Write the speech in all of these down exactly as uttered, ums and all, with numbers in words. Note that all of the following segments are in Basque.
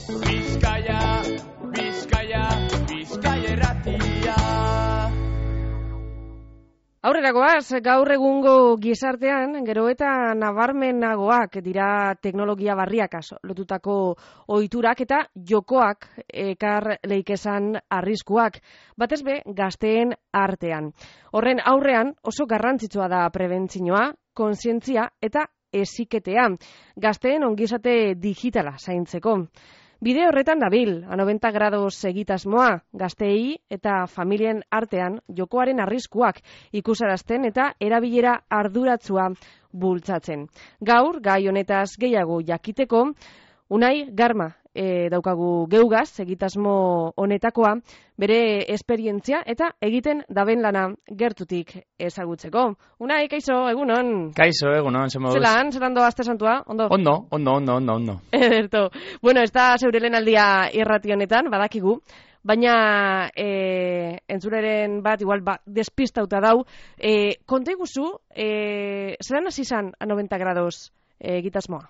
Bizkaia, Bizkaia, Bizkaia irratia. Aurrera goaz, gaur egungo gizartean, gero eta nabarmenagoak dira teknologia barriakaz lotutako ohiturak eta jokoak ekar leikezan arriskuak, batez be gazteen artean. Horren aurrean oso garrantzitsua da prebentzioa, kontzientzia eta heziketea, gazteen ongizate digitala zaintzeko. Bide horretan dabil, a noventa grados egitasmoa, gazteei eta familien artean jokoaren arriskuak ikusarazten eta erabilera arduratsua bultzatzen. Gaur, gai honetaz gehiago jakiteko, Unai Garma e, daukagu geugaz, egitasmo honetakoa, bere esperientzia eta egiten daben lana gertutik ezagutzeko. Unai, kaixo, egunon? Kaixo, egunon, ze moduz? Zelan, zelan doa aste santua, ondo? Ondo, ondo, ondo, ondo, ondo. Ederto. Bueno, ez da zeure lehenaldia irrati honetan, badakigu, baina e, entzuleren bat, igual, ba, despistauta dau, e, konta iguzu, e, zelan hasi zan a noventa grados e, egitasmoa?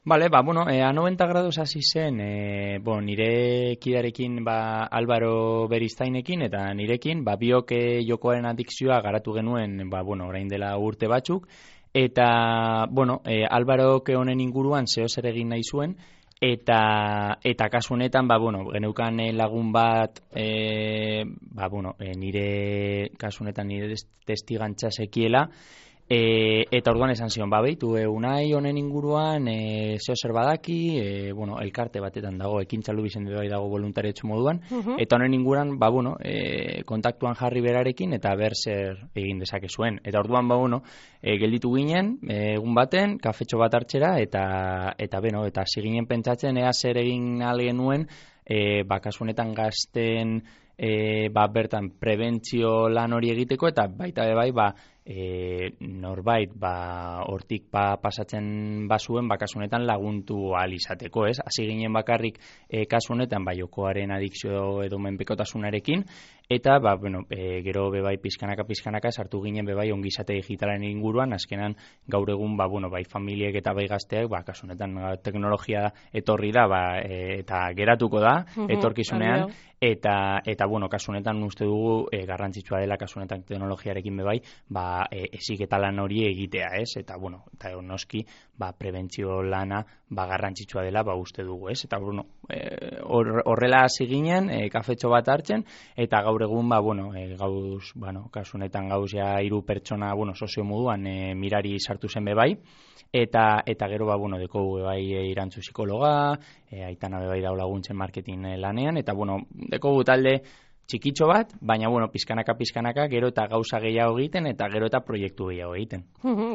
Vale, ba, bueno, eh, a noventa grados hasi zen, eh, bon, nire kidarekin, ba, Álvaro Beriztainekin, eta nirekin, ba, biok eh, jokoaren adikzioa garatu genuen, ba, bueno, orain dela urte batzuk, eta, bueno, eh, Álvaro honen inguruan zeo zer egin nahi zuen, eta, eta kasu honetan, ba, bueno, geneukan eh, lagun bat, eh, ba, bueno, eh, nire, kasu honetan nire testigantza sekiela, E, eta orduan esan zion, ba, behitu, e, Unai honen inguruan, e, zeo zer badaki, e, bueno, elkarte batetan dago, ekintzalu bizen bai dago voluntarietsu moduan, uh-huh. Eta honen inguruan, ba, bueno, e, kontaktuan jarri berarekin, eta ber zer egin dezake zuen. Eta orduan, ba, bueno, e, gelditu ginen, e, egun baten, kafetxo bat hartxera, eta, eta beno, eta ziginen pentsatzen, ea zer egin algenuen, e, ba, kasu honetan gazten, e, ba, bertan, prebentzio lan hori egiteko, eta baita be bai, ba, E, norbait ba hortik ba pasatzen bazuen ba kasu honetan laguntu ahal izateko, ez? Hasi ginen bakarrik e, kasu honetan ba jokoaren adikzio edo menpekotasunarekin eta ba bueno, e, gero be bai pizkanaka pizkanaka sartu ginen be bai ongizate digitalaren inguruan, azkenan gaur egun ba bueno, bai familiek eta bai gazteak ba kasu honetan teknologia etorri da ba e, eta geratuko da etorkizunean. Eta, eta bueno, kasu honetan uste dugu e, garrantzitsua dela kasu honetan teknologiarekin be bai, ba, e, heziketa lan hori egitea, ez? Eta, bueno, eta noski, ba, prebentzio lana, ba, garrantzitsua dela, ba, uste dugu, ez? Eta, bueno, e, horrela hasi ginen, e, kafetxo bat hartzen, eta gaur egun, ba, bueno, e, gauz, bueno, kasu honetan gauz ja hiru pertsona, bueno, sozio moduan e, mirari sartu zen be bai, eta eta gero ba bueno dekogu bai e, irantzu psikologa, e, Aitana be bai dago laguntzen marketing e, lanean eta bueno dekogu talde txikitxo bat, baina bueno pizkanaka pizkanaka gero eta gauza gehiago egiten eta gero eta proiektu gehiago egiten.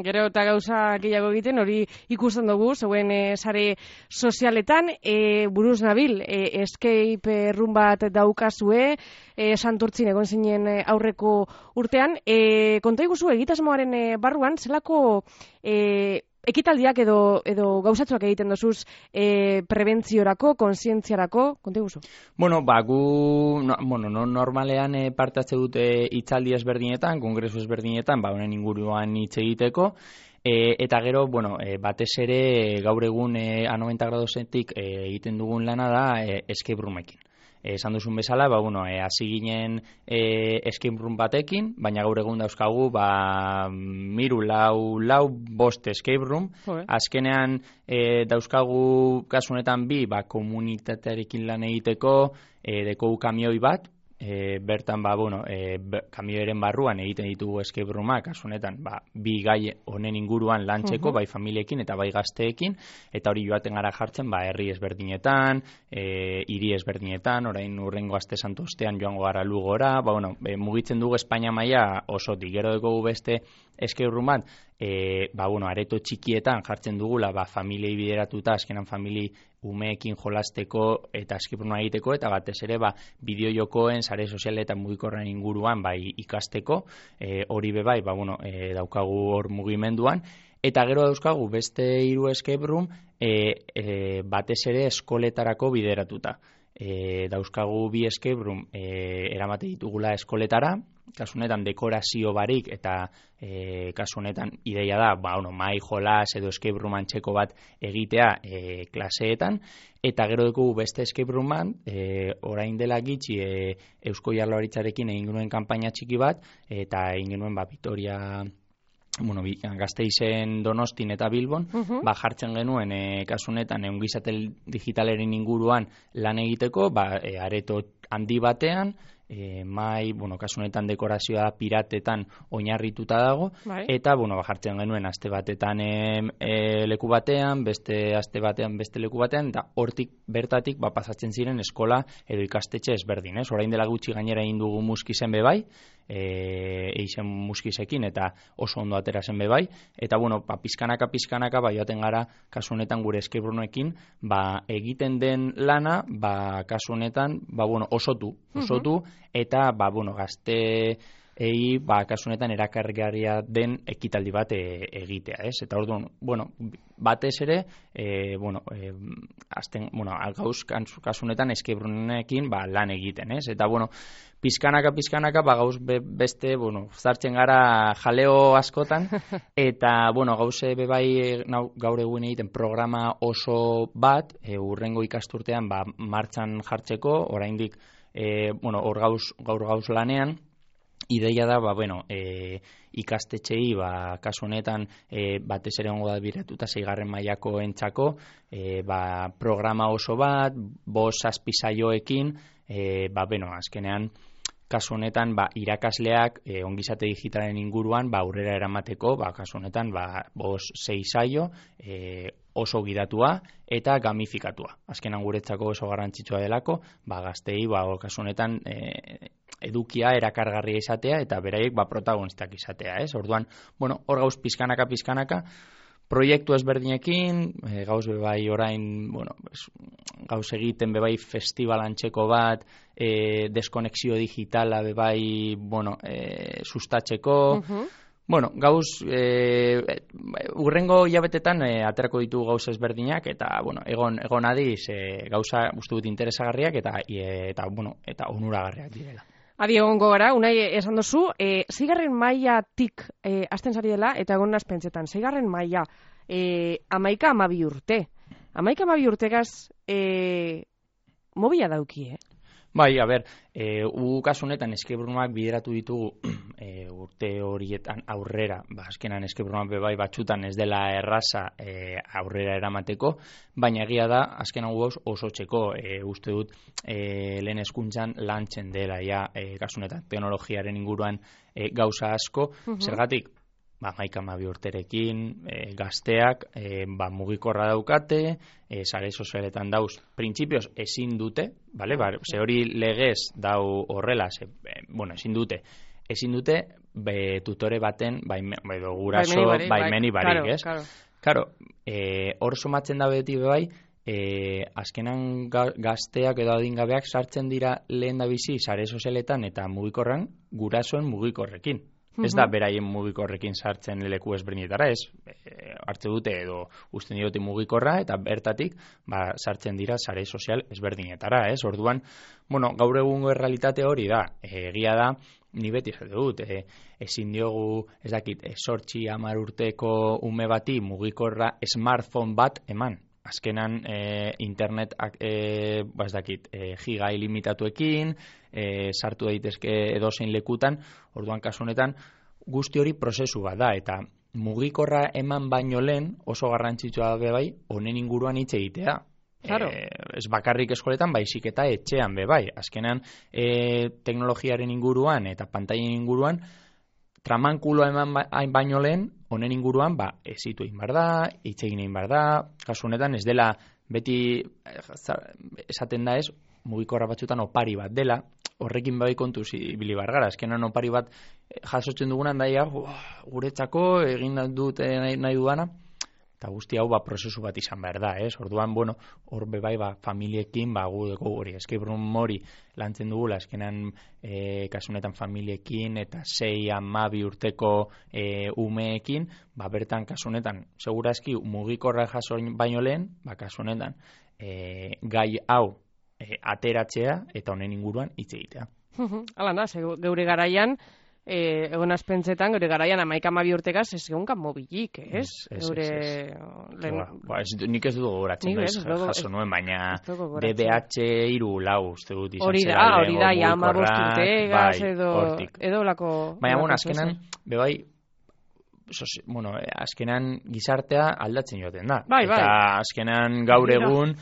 Gero eta gauza gehiago egiten hori ikusten dugu zeuen e, sare sozialetan e, buruz nabil e, escape room bat daukazue e, Santurtzin egon zinen e, aurreko urtean e, konta iguzu egitasmoaren e, barruan zelako e, ekitaldiak edo edo gauzatzuak egiten dozuz e, prebentziorako, kontzientziarako, konta iguzu? Bueno, ba, gu no, bueno, no, normalean e, parte hartze dute hitzaldi ezberdinetan, kongresu ezberdinetan, ba, honen inguruan hitz egiteko, e, eta gero, bueno, e, batez ere gaur egun e, a noventa gradosetik e, egiten dugun lana da e, escape roomekin. Esan duzun bezala, ba, bueno, e, hasi ginen e, escape room batekin, baina gaur egun dauzkagu, ba, miru, lau, lau, bost escape room. Okay. Azkenean e, dauzkagu kasunetan bi, ba, komunitatearekin lan egiteko, e, dekogu kamioi bat, e, bertan, ba, bueno, e, kamioeren barruan egiten ditugu escape roomak, kasunetan, ba, bi gai honen inguruan lantzeko, uh-huh. bai familiekin eta bai gazteekin, eta hori joaten gara jartzen, ba, herri ezberdinetan, e, hiri ezberdinetan, orain urrengo aste santu ostean joango gara Lugora, ba, bueno, e, mugitzen dugu Espainia maila osotik, gero dugu beste escape room bat, e, ba, bueno, areto txikietan jartzen dugula, ba, familiei bideratuta, azkenan famili umeekin jolasteko eta escape rooma egiteko, eta batez ere, ba, bideo jokoen, sare sozialetan mugikorren inguruan, bai, ikasteko, e, hori be bai, ba, bueno, e, daukagu hor mugimenduan, eta gero dauzkagu beste hiru escape room, e, e, batez ere eskoletarako bideratuta. e, dauzkagu bi escape room e, eramate ditugula eskoletara, kasu honetan dekorazio barik eta e, kasu honetan ideia da, ba, bueno, mai jolas edo escape room antxeko bat egitea e, klaseetan, eta gero dugu beste escape rooman, e, orain dela gitxi e, Eusko Jaurlaritzarekin egin genuen kanpaina txiki bat, eta egin genuen ba, Vitoria, bueno, Gasteizen, Donostin eta Bilbon, uh-huh. ba, jartzen genuen e, kasu honetan ongizate digitaleren inguruan lan egiteko, ba, e, areto handi batean, E, mai, bueno, kasu honetan dekorazioa piratetan oinarrituta dago, bai. Eta, bueno, ba, jartzen genuen aste batetan e, e, leku batean, beste aste batean beste leku batean, eta hortik bertatik ba, pasatzen ziren eskola edo ikastetxe ezberdin, ez? Orain dela gutxi gainera egin dugu muskizen bebai, e, eizen muskizekin, eta oso ondo atera zen bebai, eta, bueno, ba, pizkanaka, pizkanaka, ba, joaten gara, kasu honetan gure escape roomekin, ba, egiten den lana, ba, kasu honetan, ba, bueno, osotu, osotu, uh-huh. Eta, ba, bueno, gazte ei, ba, kasu honetan erakargarria den ekitaldi bat e, egitea, ez? Eta orduan, bueno, batez ere, e, bueno, e, azten, bueno, gauz kasu honetan escape roomekin, ba, lan egiten, ez? Eta, bueno, pizkanaka, pizkanaka, ba, gauz be, beste, bueno, zartzen gara jaleo askotan, eta, bueno, gauze bebai gaur egun egiten programa oso bat, e, urrengo ikasturtean, ba, martxan jartzeko, oraindik, E, bueno, hor gauz, gaur gauz lanean, ideia da, ba, bueno, e, ikastetxei, ba, kasu honetan, e, batez ere ongo da biratuta seigarren mailako entzako, e, ba, programa oso bat, bost zazpi saioekin, e, ba, bueno, azkenean, kasu honetan, ba, irakasleak e, ongizate digitalen inguruan, ba, aurrera eramateko, ba, kasu honetan, ba, bost sei saio, e, oso gidatua eta gamifikatua. Azkenan guretzako oso garrantzitsua delako, ba, gaztei, ba, kasu honetan, e, edukia erakargarria izatea eta beraiek ba, protagonistak izatea, ez? Orduan, bueno, hor gauz pizkanaka, pizkanaka, proiektu ezberdinekin, e, gauz bebai orain, bueno, gauz egiten bebai festivalantxeko bat, e, deskonexio digitala bebai, bueno, e, sustatzeko, uh-huh. Bueno, gauz, e, urrengo hilabetetan e, aterako ditu gauz ezberdinak, eta, bueno, egon, egon adiz, e, gauza uste dut interesagarriak, eta, e, eta, bueno, eta onuragarriak direla. Adi egongo gara, unai esan duzu, e, zigarren mailatik e, hasten zari dela, eta egon nazpentsetan, zigarren maila, e, amaika amabi urte. Amaika amabi urtegaz, e, mobila dauki, eh? Bai, a ber, e, u kasu honetan escape roomak bideratu ditugu e, urte horietan aurrera, ba, azkenan escape roomak bebai batxutan ez dela erraza e, aurrera eramateko, baina egia da, azkenan gauz oso txeko, e, uste dut, e, lehen hezkuntzan lantzen dela, ja, e, kasu honetan teknologiaren inguruan e, gauza asko, uh-huh. Zergatik, ba, maika mabi urterekin, e, gazteak, e, ba, mugikorra daukate, e, sare sozialetan dauz, printzipioz ezin dute, vale? Ba, ze hori legez dau horrela, ze, e, bueno, ezin dute, ezin dute, be, tutore baten, baimen, edo guraso, baimeni barik, claro, ez? Claro. Karo, e, hor somatzen da beti bebai, e, azkenan gazteak edo adingabeak sartzen dira lehen da bizi, sare sozialetan eta mugikorran, gurasoen mugikorrekin. Ez da beraien mugikorrekin sartzen leku ezberdinetara, ez, e, hartze dute edo usten diote mugikorra eta bertatik ba, sartzen dira sare sozial ezberdinetara, ez, orduan, bueno, gaur egungo errealitate hori da, e, egia da, ni beti esate dut, e, ezin diogu, ez dakit, e, sortzi hamar urteko ume bati mugikorra smartphone bat eman. Azkenan e, internet e, ba ez dakit, e, giga ilimitatuekin, e, sartu daitezke edozein lekutan, orduan kasu honetan guzti hori prozesu bat da, eta mugikorra eman baino lehen oso garrantzitsua da bai, honen inguruan hitz egitea. Claro. E, ez bakarrik eskoletan, baizik eta etxean be bai. Azkenan e, teknologiaren inguruan eta pantailen inguruan, tramankulo eman baino lehen, honen inguruan, ba, ezitu egin behar da, hitz egin egin behar da, kasu honetan ez dela, beti esaten da ez, mugikorra batzutan opari bat dela, horrekin bai kontuz ibili behar gara, azkenan opari bat jasotzen dugunan daia, guretzako egin dut nahi, nahi dudana, eta guzti hau ba, prozesu bat izan behar da, ez? Orduan, bueno, hor bebai ba, familiekin, ba, gu dugu hori, escape room hori lantzen dugula, eskenan e, kasunetan familiekin eta sei hamabi urteko e, umeekin, ba, bertan kasunetan, segurazki mugikorra jaso baino lehen, ba, kasunetan, e, gai hau, E, e, ateratzea eta honen inguruan hitz egitea. Hala da, geure garaian, E, egon azpentzetan, gure garaian amaika amabi urtegaz, ez egonkan mobilik, ez? Ez, ez, Eure... ez. Len... Ba, ba, ez, nik ez dut gogoratzen noiz jaso nuen, baina D B H hiru lau uste dut izan hori zera. Hori da, hori da, ja ama bosturtegaz, bai, edo, edo lako... Baina, bueno, azkenan, bebai, sozi, bueno, azkenan gizartea aldatzen joaten da. Bai, bai. Eta azkenan gaur egun...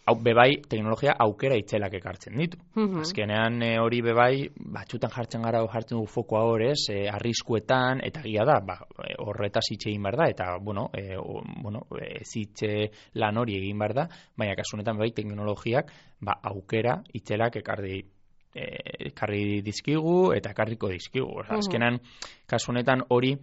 Hau, bebai, teknologia aukera itzelak ekartzen ditu. Mm-hmm. Azkenean e, hori bebai, batxutan jartzen gara, jartzen dugu fokoa horrez, e, arriskuetan, eta gila da, ba, horretaz hitz egin behar da, eta, bueno, e, o, bueno e, zitze lan hori egin behar da, baina kasunetan bebai, teknologiak, ba, aukera itzelak ekarri, e, ekarri dizkigu, eta ekarriko dizkigu. Mm-hmm. Azkenean, kasunetan hori,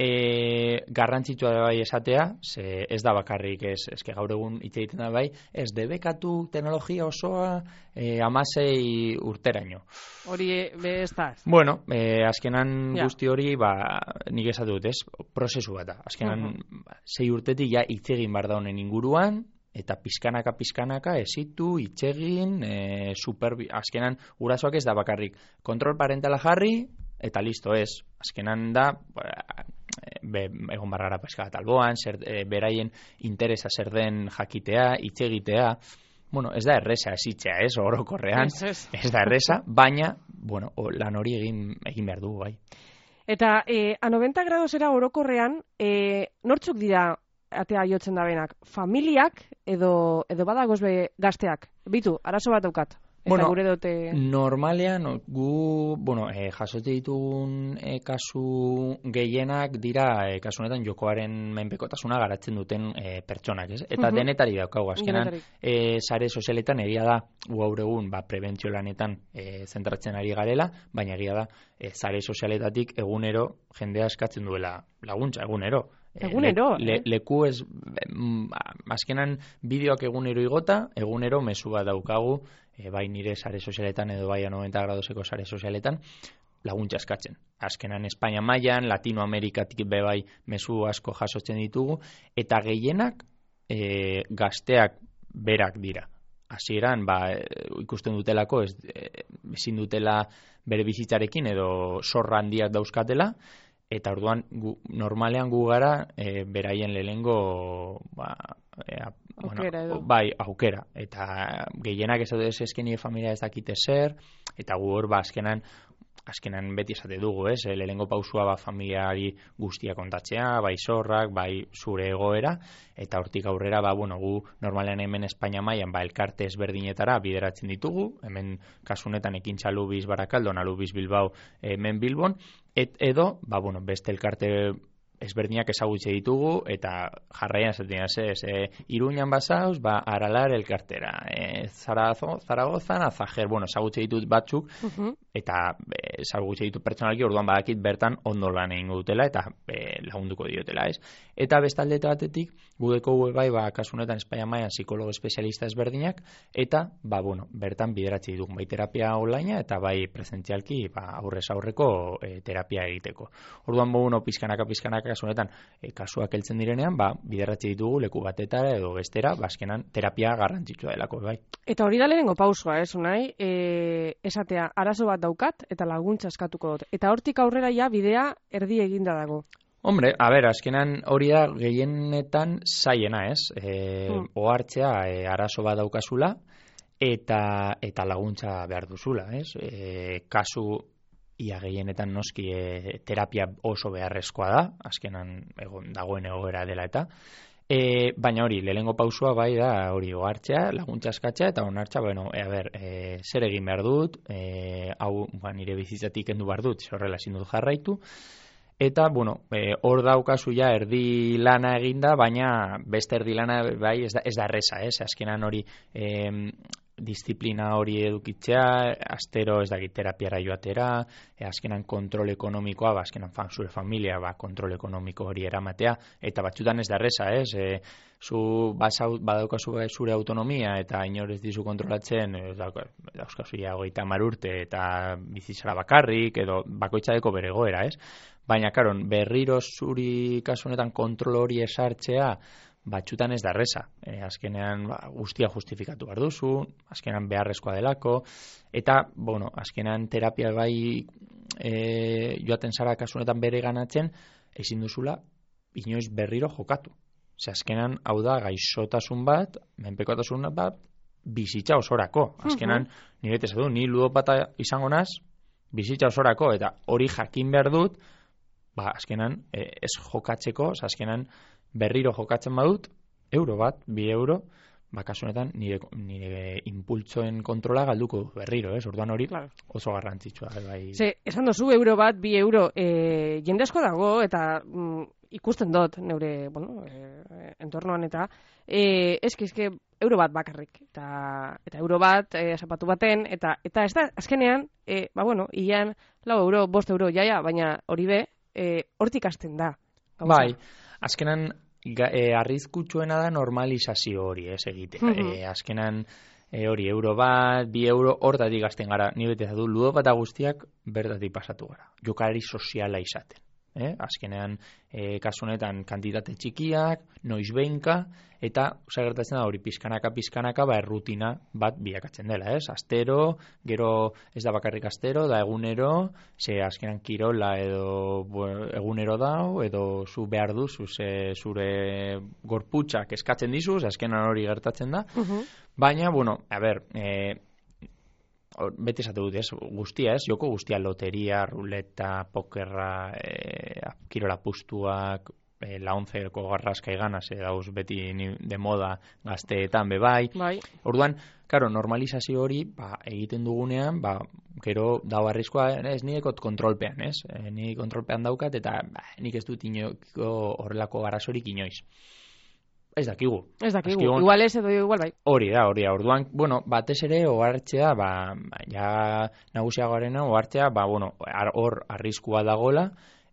E, garrantzitsua da bai esatea, ze ez da bakarrik ez, eske gaur egun hitz egiten da bai, ez debekatu teknologia osoa e, amasei urteraino. Hori be ez da. Bueno, e, azkenan ja. Guzti hori, ba, nik esatu dut, ez, prozesu bat da. Azkenan uh-huh. sei urtetik ja hitz egin behar da honen inguruan, eta pizkanaka pizkanaka esitu, itxegin, e, super, azkenan gurasoak ez da bakarrik kontrol parentala jarri, eta listo ez. Azkenan da, be, egon barrara peska bat alboan, zer, e, beraien interesa zer den jakitea, hitz egitea. Bueno, ez da erresa esitzea, ez, orokorrean, ez, ez. ez da erresa, baina, bueno, lan hori egin, egin behar dugu, bai. Eta, e, a noventa gradosera orokorrean, e, nortzuk dira atea jotzen da benak? Familiak edo, edo badagoz be gazteak? Bitu, arazo bat daukat. Eta bueno, gure dote... normalean, gu, bueno, e, jasote ditugun e, kasu gehienak dira, e, kasu honetan jokoaren menpekotasuna garatzen duten e, pertsonak, ez? Eta uh-huh. denetari daukagu, azkenan, e, sare sozialetan egia da, gaur egun, ba, prebentzio lanetan e, zentratzen ari garela, baina egia da, e, sare sozialetatik egunero jendea eskatzen duela laguntza, egunero. Egunero, le, le, eh? Leku ez, azkenan bideoak egunero igota, egunero mezu bat daukagu, e, bai nire sare sozialetan edo bai a noventa gradoseko sare sozialetan, laguntza eskatzen. Azkenan Espainia mailan, Latinoamerikatik be bai mezu asko jasotzen ditugu, eta gehienak e, gazteak berak dira. Hasieran, ba, ikusten dutelako, ez, ezin dutela bere bizitzarekin edo zorra handiak dauzkatela, eta orduan gu, normalean gu gara e, beraien lehengo ba, e, aukera, bueno, bai, aukera. Eta gehienak ez ez esken familia ez dakite zer, eta gu hor ba, azkenan, azkenan beti esate dugu, ez? Lehengo pausua ba, familiari guztia kontatzea, bai zorrak, bai zure egoera, eta hortik aurrera, ba, bueno, gu normalean hemen Espainia mailan ba, elkarte ezberdinetara bideratzen ditugu, hemen kasunetan ekintza Lubiz Barakaldon, Lubiz Bilbao, hemen Bilbon, et, edo, ba, bueno, beste elkarte ezberdinak ezagutze ditugu, eta jarraian esaten ez, e, Iruñan basauz, ba, Aralar elkartera, e, Zarazo, Zaragozan, Azajer, bueno, ezagutze ditut batzuk, uh-huh. eta e, ezagutze ditut pertsonalki, orduan badakit bertan ondo lan egingo dutela, eta e, lagunduko diotela, ez? Eta bestaldete batetik, gudeko bai, ba, kasunetan Espainia mailan psikologo espezialista ezberdinak, eta, ba, bueno, bertan bideratzi ditugu, bai terapia online eta bai presentzialki, ba, aurrez aurreko e, terapia egiteko. Orduan, bueno, pizkanaka, pizkanaka, kasunetan, e, kasuak heltzen direnean, ba, bideratzi ditugu leku batetara edo bestera, bazkenan terapia garrantzitsua delako, bai. Eta hori da lehenengo pausua, ez, unai, e, esatea, arazo bat daukat, eta laguntza eskatuko dut. Eta hortik aurrera ja bidea erdi eginda dago. Hombre, a ber, azkenan hori da gehienetan zaiena, ez? E, hmm. Ohartzea e, arazo bat daukazula, eta, eta laguntza behar duzula, ez? E, kasu ia gehienetan noski e, terapia oso beharrezkoa da, azkenan egon, dagoen egoera dela eta, e, baina hori, lehengo pausua bai da hori ohartzea, laguntza eskatzea, eta onartza, bueno, e, a ber, e, zer egin behar dut, e, hau ba, nire bizitzatik kendu behar dut, horrela ezin dut jarraitu, eta, bueno, e, hor daukazu ja erdi lana eginda, baina beste erdi lana bai ez da, ez da erresa, ez, azkenan hori... E, disiplina hori edukitzea, astero ez dakit terapiara joatera, e, azkenan kontrol ekonomikoa, ba, azkenan fan, zure familia, ba, kontrol ekonomiko hori eramatea, eta batzutan ez da erresa, ez? E, zu badaukazu zure autonomia eta inor ez dizu kontrolatzen, ez dauzkazu ja hogeita hamar urte eta bizitzara bakarrik, edo bakoitzadeko bere egoera, ez? Baina, karon, berriro zuri kasu honetan kontrol hori esartzea, batxutan ez da erreza. E, azkenean ba, guztia justifikatu behar duzu, azkenean beharrezkoa delako, eta, bueno, azkenean terapia bai e, joaten zara kasunetan bere ganatzen, ezin duzula inoiz berriro jokatu. Ze azkenan, hau da, gaixotasun bat, menpekotasun bat, bizitza osorako. Azkenan, uh-huh. nire betez du, ni ludopata izango naz, bizitza osorako, eta hori jakin behar dut, ba, azkenan, e, ez jokatzeko, azkenan, berriro jokatzen badut, euro bat, bi euro, ba, kasunetan, nire, nire impultsoen kontrola galduko berriro, ez? Orduan hori claro. Oso garrantzitsua. Bai. Ze, esan dozu, euro bat, bi euro, e, jende asko dago, eta mm, ikusten dut, neure, bueno, e, entornoan eta, e, eski, eski, euro bat bakarrik, eta, eta euro bat, e, zapatu baten, eta, eta ez da, azkenean, e, ba, bueno, ian, lau euro, bost euro, jaia, baina hori be, e, hortik hasten da. Gauza. Bai, azkenan, Ga, e, arrizkutsuena da normalizazio hori, ez egitea. Mm-hmm. E, azkenan e, hori euro bat, bi euro, hortatik gazten gara, ni betez du, ludopata guztiak bertatik pasatu gara. Jokalari soziala izaten. Eh? Azkenean, e, kasunetan kantitate txikiak, noiz behinka, eta osa gertatzen da hori pizkanaka, pizkanaka, ba, errutina bat bilakatzen dela, ez? Astero, gero ez da bakarrik astero, da egunero, ze azkenan kirola edo bueno, egunero dau, edo zu behar duzu, ze zure gorputxak eskatzen dizu, ze azkenan hori gertatzen da, uh-huh. Baina, bueno, a ber, e, beti esate dut, ez, guztia, ez, joko guztia, loteria, ruleta, pokerra, e, kirola pustuak, e, la onzeko garraska iganaz, e, dauz beti de moda gazteetan bebai. Bai. Orduan, karo, normalizazio hori, ba, egiten dugunean, ba, gero dau arriskoa, ez, nidekot kontrolpean, ez, e, ni kontrolpean daukat, eta ba, nik ez dut inoko horrelako arazorik inoiz. Ez dakigu. Ez dakigu, Azkigun, igual ez edo igual bai. Hori da, hori da, orduan, bueno, batez ere ohartzea, ba, ja nagusiagoarena ohartzea, ba, bueno, hor arriskua dagola,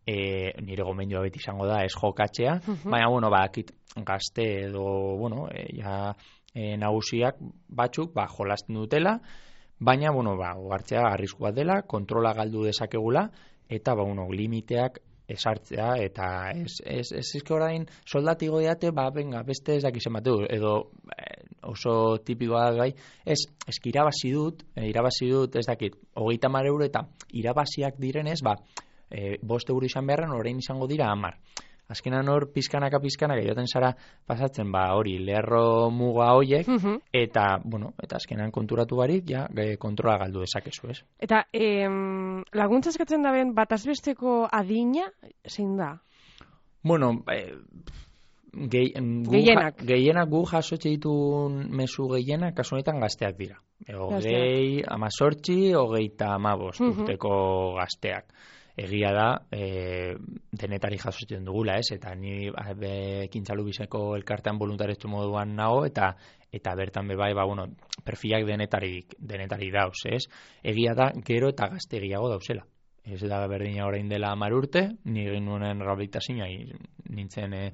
e, nire gomendioa beti izango da, ez jokatzea, uh-huh. Baina, bueno, ba, akit, gazte edo, bueno, e, ja e, nagusiak batzuk, ba, jolasten dutela, baina, bueno, ba, ohartzea arriskua dela, kontrola galdu dezakegula, eta, ba, bueno, limiteak esartzea, eta ez, ez, ez izke orain soldatigo diate, ba, venga, beste ez dakizen bateu, edo eh, oso tipikoa gai, ez, ez irabazi dut, eh, irabazi dut, ez dakit, hogeita hamar euro, eta irabaziak direnez, ba, eh, bost euro izan beharren, orain izango dira hamar. Azkenan hor, pizkanaka, pizkanaka, joten zara pasatzen, ba, hori, lerro muga hoiek, uh-huh. Eta, bueno, eta azkenan konturatu barik, ja, kontrola galdu dezakezu, ez? Eta, em, laguntza eskatzen da ben, batazbesteko adina, zein da? Bueno, eh, gehi, gu, gehienak. Ja, gehienak gu jasotxe ditun mezu gehienak, kasu honetan gazteak dira. Hogei, amazortzi, hogeita amabost uh-huh. urteko gazteak. Egia da, e, denetari jasotzen dugula, ez? Eta ni ekintzalu bizeko elkartean voluntaretsu moduan nago, eta eta bertan bebai, ba, bueno, perfilak denetari, denetari dauz, ez? Egia da, gero eta gaztegiago dauzela. Ez da berdina orain dela hamar urte, ni egin nuen rehabilitazioa, nintzen e,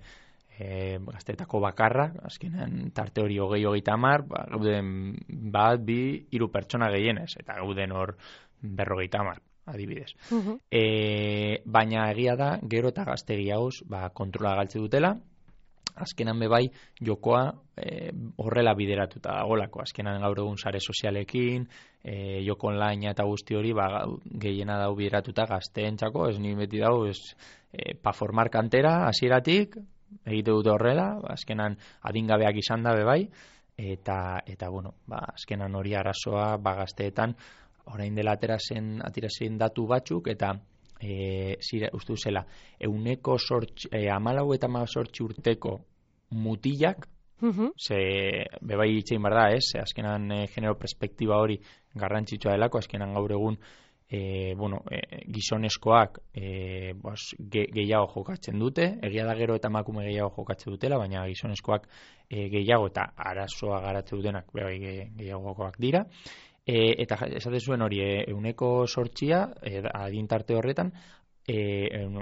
e, gaztetako bakarra, azkenean tarte hori hogei hogeita hamar, ba, gauden bat, bi, hiru pertsona gehienez, eta gauden hor berrogeita hamar. Adibidez. Uh-huh. E, baina egia da, gero eta gaztegiagoz, ba, kontrola galtze dutela, azkenan bebai jokoa e, horrela bideratuta dagolako, azkenan gaur egun sare sozialekin, e, joko online eta guzti hori, ba, gehiena dau bideratuta gazteentzako, ez ni beti dau, ez, e, pa formar kantera, hasieratik, egite dute horrela, azkenan adingabeak izan da bebai, eta, eta bueno, ba, azkenan hori arazoa, ba, gazteetan, orain dela aterazen, aterazen datu batzuk, eta e, zira, uste zela, euneko sortx, e, amalau eta amazortzi urteko mutilak, uh-huh. Ze bebai itxein bar da, ez? Azkenan e, genero perspektiba hori garrantzitsua delako, azkenan gaur egun e, bueno, e, gizonezkoak e, bos, ge, gehiago jokatzen dute, egia da gero eta emakume gehiago jokatzen dutela, baina gizonezkoak e, gehiago eta arazoa garatzen dutenak bebai ge, gehiagokoak dira. E, eta esate zuen hori euneko sortxia e, adintarte horretan e,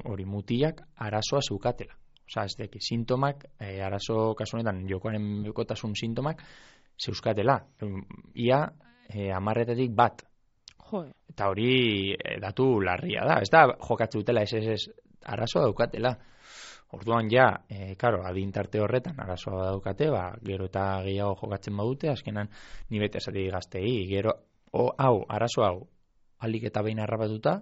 hori mutilak arazoa zeukatela. Osa, ez deki, sintomak, e, arazo kasunetan jokoaren bekotasun sintomak zeuzkatela. Ia e, amarretatik bat. Jo. Eta hori e, datu larria da. Ez da jokatzen dutela, ez ez ez arazoa daukatela. Orduan ja, e, karo, adintarte horretan arazoa daukate, ba, gero eta gehiago jokatzen badute, azkenan ni bete esati gaztei, gero, o, hau, arazo hau, alik eta behin harrapatuta,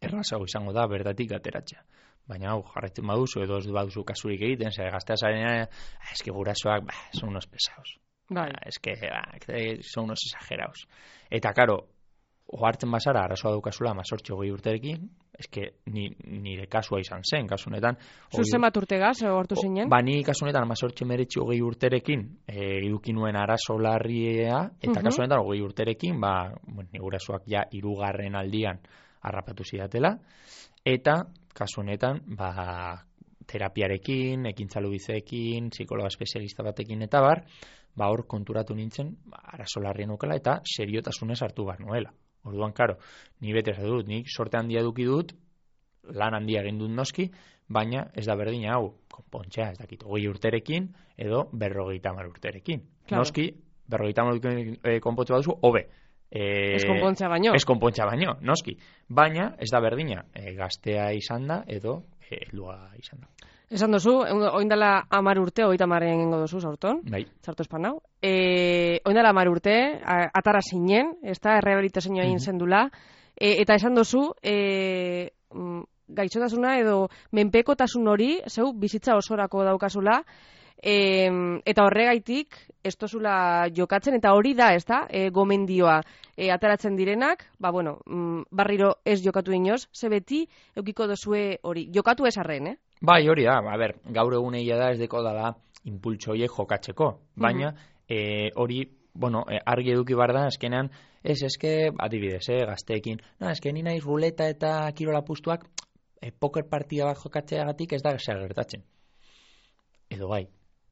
errazago izango da bertatik ateratzea. Baina hau, jarraitzen baduzu, edo ez baduzu kasurik egiten, zer, gaztea zarenean, eski gurasoak, ba, son unos pesados. Bai. Ba, eski, ba, son unos exagerados. Eta, karo, ohartzen bazara, arazoa daukazula, mazortxo gehi urterekin, eske ni, nire kasua izan zen, kasunetan. Zuzen bat urtegaz, hortu zinen? Ba, ni kasunetan, mazortxo meretxi hogei urterekin, e, eduki nuen arazo larria, eta uh-huh. kasunetan, hogei urterekin, ba, bueno, gurasoak ja hirugarren aldian harrapatu zidatela, eta kasunetan, ba, terapiarekin, ekintzalu bizeekin, psikologa espezialista batekin, eta bar, ba, hor konturatu nintzen, ba, arazo larrien okela, eta seriotasunez hartu bar nuela. Orduan, karo, ni bete ez dut, nik sorte handia eduki dut, lan handia egin dut noski, baina ez da berdina hau, konpontzea, ez dakit, hogei urterekin, edo berrogeita hamar urterekin. Claro. Noski, berrogeita hamar urterekin e, konpontzea baduzu, hobe. E, ez konpontzea baino. Ez konpontzea baino, noski. Baina, ez da berdina, e, gaztea izan da, edo e, heldua izan da. Esan dozu, oindala amar urte, oita marren egingo dozu, zaurton? Bai. Zartu espan hau. E, oindala amar urte, atara zinen, ez da, errehabilitazioa egin mm-hmm. zendula, e, eta esan dozu, e, gaitxotasuna edo menpekotasun hori, zeu, bizitza osorako daukazula, e, eta horregaitik, ez dozula jokatzen, eta hori da, ez da, e, gomendioa, e, ataratzen direnak, ba, bueno, barriro ez jokatu inoz, ze beti, eukiko dozue hori, jokatu ez arren, eh? Bai, hori da, a ber, gaur eguneia da ez deko dala impultso horiek jokatzeko, baina uh-huh. e, hori, bueno, e, argi eduki bar da, eskenean, ez, eske, adibidez, eh, gazteekin, no, eske ni naiz ruleta eta kirola pustuak, e, poker partida bat jokatzeagatik ez da zer gertatzen. Edo bai.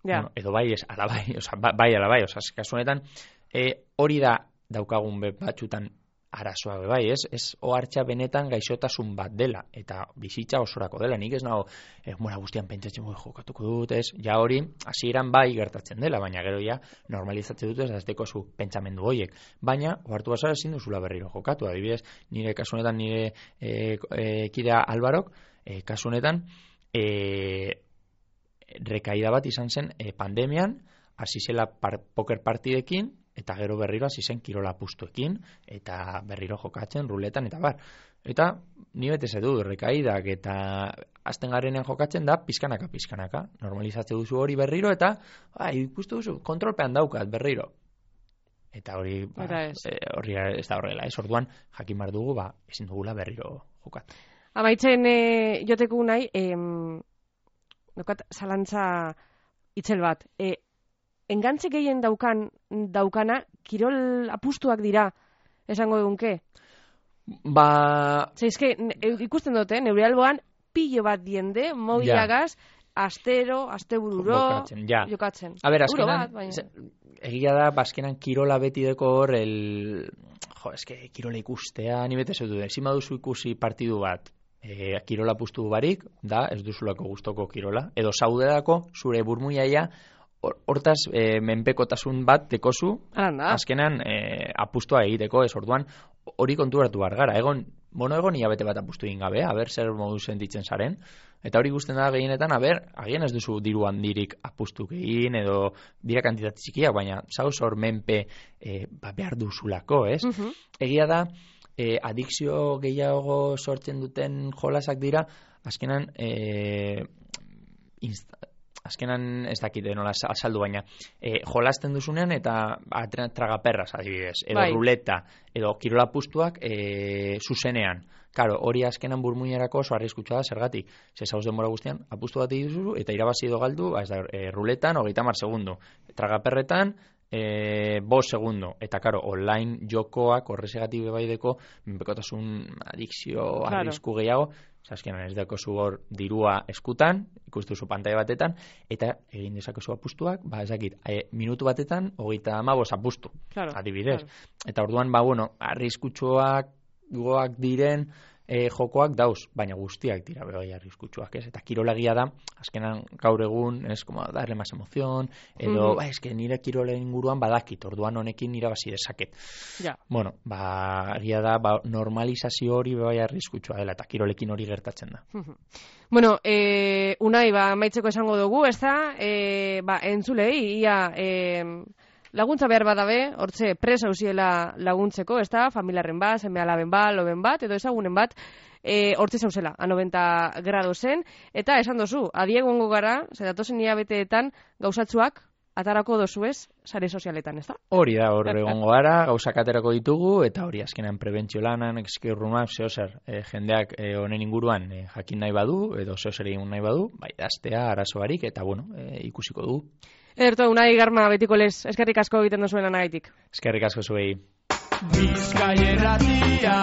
Ja. Bueno, edo bai, ez, ala bai, oza, bai, ala bai, oza, kasunetan, e, hori da daukagun batxutan arazoa bai, ez? Ez ohartza benetan gaixotasun bat dela eta bizitza osorako dela. Nik ez nago eh, mora guztian pentsatzen goi jokatuko dut, ez? Ja hori hasieran bai gertatzen dela, baina gero ja normalizatzen dut ez azteko zu pentsamendu horiek. Baina ohartu bazara ezin duzula berriro jokatu. Adibidez, nire kasunetan nire eh, eh, kidea Alvarok, eh, kasunetan eh, rekaida bat izan zen eh, pandemian, hasi zela par, poker partidekin, eta gero berriro hasi zen kirola pustuekin, eta berriro jokatzen, ruletan, eta bar. Eta ni betez edu, rekaidak, eta azten garenean jokatzen da, pizkanaka, pizkanaka. Normalizatze duzu hori berriro, eta ba, ikustu duzu, kontrolpean daukat berriro. Eta hori, ba, e, hori ez da horrela, ez orduan, jakin bar dugu, ba, ezin dugula berriro jokat. Amaitzen e, joteko nahi, em, dokat, zalantza itzel bat, e, engantze gehien daukan daukana, kirol apustuak dira, esango egunke? Ba... Zeizke, ikusten dute, neure alboan, pilo bat diende, mobilagaz, ja. Astero, astebururo, jokatzen. Ja. jokatzen. A ber, azkenan, bat, baina... egia da, bazkenan kirola beti deko hor, el... jo, eske, kirola ikustea, ni bete zautu, ezin baduzu ikusi partidu bat, e, kirola apustu barik, da, ez duzulako gustoko kirola, edo zaudedako, zure burmuiaia, hortaz, e, menpekotasun bat dekozu, azkenan e, apustua egiteko, ez orduan, hori konturatu bar gara. Egon, mono egon hilabete bat apustu egin gabe, a ber, zer modu sentitzen zaren, eta hori guztien da gehienetan, a ber, agian ez duzu diru handirik apustu egin, edo dira kantitate txikiak, baina zauz hor menpe e, ba, behar duzulako, ez? Uh-huh. Egia da, e, adikzio gehiago sortzen duten jolasak dira, azkenan, e, insta, azkenan ez dakite nola azaldu, baina e, jolasten duzunean eta tragaperras adibidez, edo bai. Ruleta, edo kirola pustuak e, zuzenean. Karo, hori azkenan burmuinerako oso arriskutsua da, zergatik. Ze zauz denbora guztian, apustu bat egituzu eta irabazi edo galdu, ba, ez da, e, ruletan, hogeita hamar segundu. Tragaperretan, e, bost segundo. Eta, karo, online jokoak horrezegatik bebaideko, menpekotasun adikzio, claro. Arrisku gehiago, azkenan ez dako zu hor dirua eskutan, ikustu zu pantaila batetan, eta egin dezakezu apustuak, ba, ezakit, e, minutu batetan, hogeita hamabost apustu, claro, adibidez. Claro. Eta orduan, ba, bueno, arriskutsuak goak diren e, jokoak dauz, baina guztiak dira bai arriskutsuak, ez? Eta kirolagia da, azkenan gaur egun, ez, como darle más emoción, edo, mm. ba, eske nire kirolen inguruan badakit, orduan honekin irabazi dezaket. Ja. Bueno, ba, agia da, ba, normalizazio hori bai arriskutsua dela, eta kirolekin hori gertatzen da. Bueno, e, Unai, ba, maitzeko esango dugu, ez da, e, ba, entzulei, ia, e, laguntza behar badabe, hortze presa usiela laguntzeko, ez da, familiarren bat, seme alaben bat, loben bat, edo ezagunen bat, e, hortze zauzela, a noventa grado zen, eta esan dozu, adiegongo gara, zedatozen hilabeteetan gauzatzuak, atarako dozuez, sare sozialetan, ez da? Hori da, hor egongo gara, gauzak aterako ditugu, eta hori azkenan prebentzio lanan, eskirrunak, zehozer, e, jendeak honen e, inguruan e, jakin nahi badu, edo zehozer egin nahi badu, bai, daztea, arazo barik, eta bueno, e, ikusiko du. Ederto, Unai Garma betiko lez, eskerrik asko egiten duzuen anagaitik. Eskerrik asko zuei. Bizkaia Irratia